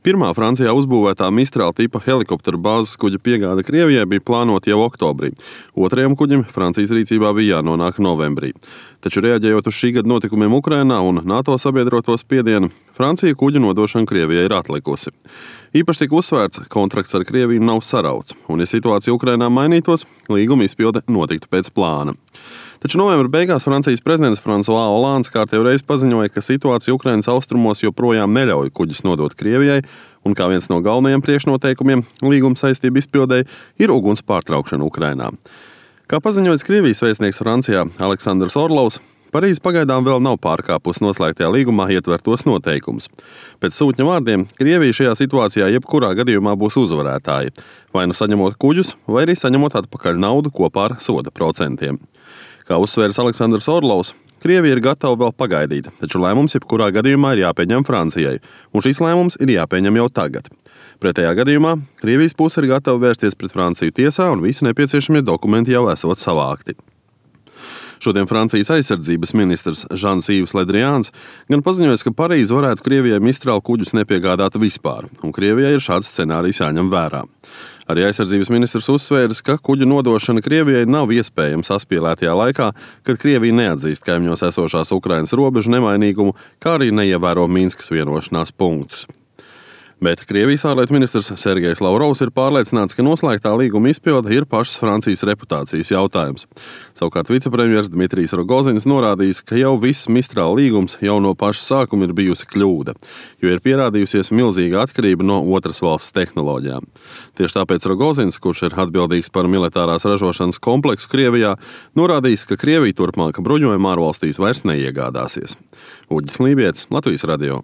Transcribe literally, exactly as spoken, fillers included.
Pirmā Francijā uzbūvētā Mistral tipa helikoptera bāzes kuģa piegāde Krievijai bija plānota jau oktobrī. Otrajam kuģim Francijas rīcībā bija jānonāk novembrī. Taču reaģējot uz šī gada notikumiem Ukrainā un NATO sabiedroto spiedienu, Francija kuģu nodošanu Krievijai ir atlikusi. Īpaši tika uzsvērts, kontrakts ar Krieviju nav sarauts, un ja situācija Ukrainā mainītos, līguma izpilde notiktu pēc plāna. Taču novembra beigās Francijas prezidents François Hollands kārtējo reizi paziņoja, ka situācija Ukrainas austrumos joprojām neļauj kuģus nodot Krievijai, un kā viens no galvenajiem priekšnoteikumiem līguma saistību izpildēji ir uguns pārtraukšana Ukrainā. Kā paziņoja Krievijas vēstnieks Francijā Aleksandrs Orlovs, Parīze pagaidām vēl nav pārkāpusi noslēgtajā līgumā ietvertos noteikumus. Pēc sūtņa vārdiem, Krievija šajā situācijā jebkurā gadījumā būs uzvarētāji, vai nu saņemot kuģus, vai arī saņemot atpakaļ naudu kopā ar soda procentiem. Kā uzsvērs Aleksandrs Orlovs, Krievija ir gatava vēl pagaidīt, taču lēmums jebkurā gadījumā ir jāpieņem Francijai, un šis lēmums ir jāpieņem jau tagad. Pretējā gadījumā Krievijas puse ir gatava vērsties pret Franciju tiesā, un visi nepieciešamie dokumenti jau esot savākti. Šodien Francijas aizsardzības ministrs Žans-Yves Le Drians gan paziņoja, ka Parīze varētu Krievijai Mistral kuģus nepiegādāt vispār, un Krievijai ir šāds scenārijs jāņem vērā. Arī aizsardzības ministrs uzsvērs, ka kuģu nodošana Krievijai nav iespējama saspīlētajā laikā, kad Krievija neatzīst kaimiņos esošās Ukrainas robežu nemainīgumu, kā arī neievēro Minskas vienošanās punktus. Bet Krievijas ārlietu ministrs Sergejs Lavrovs ir pārliecināts, ka noslēgtā līguma izpilde ir pašas Francijas reputācijas jautājums. Savukārt vicepremjers Dmitrijs Rogozins norādījis, ka jau viss Mistral līgums jau no paša sākuma ir bijusi kļūda, jo ir pierādījusies milzīga atkarība no otras valsts tehnoloģijām. Tieši tāpēc Rogozins, kurš ir atbildīgs par militārās ražošanas kompleksu Krievijā, norādījis, ka Krievija turpmāk bruņojuma ārvalstīs vairs neiegādāsies. Uģis Lībietis, Latvijas radio.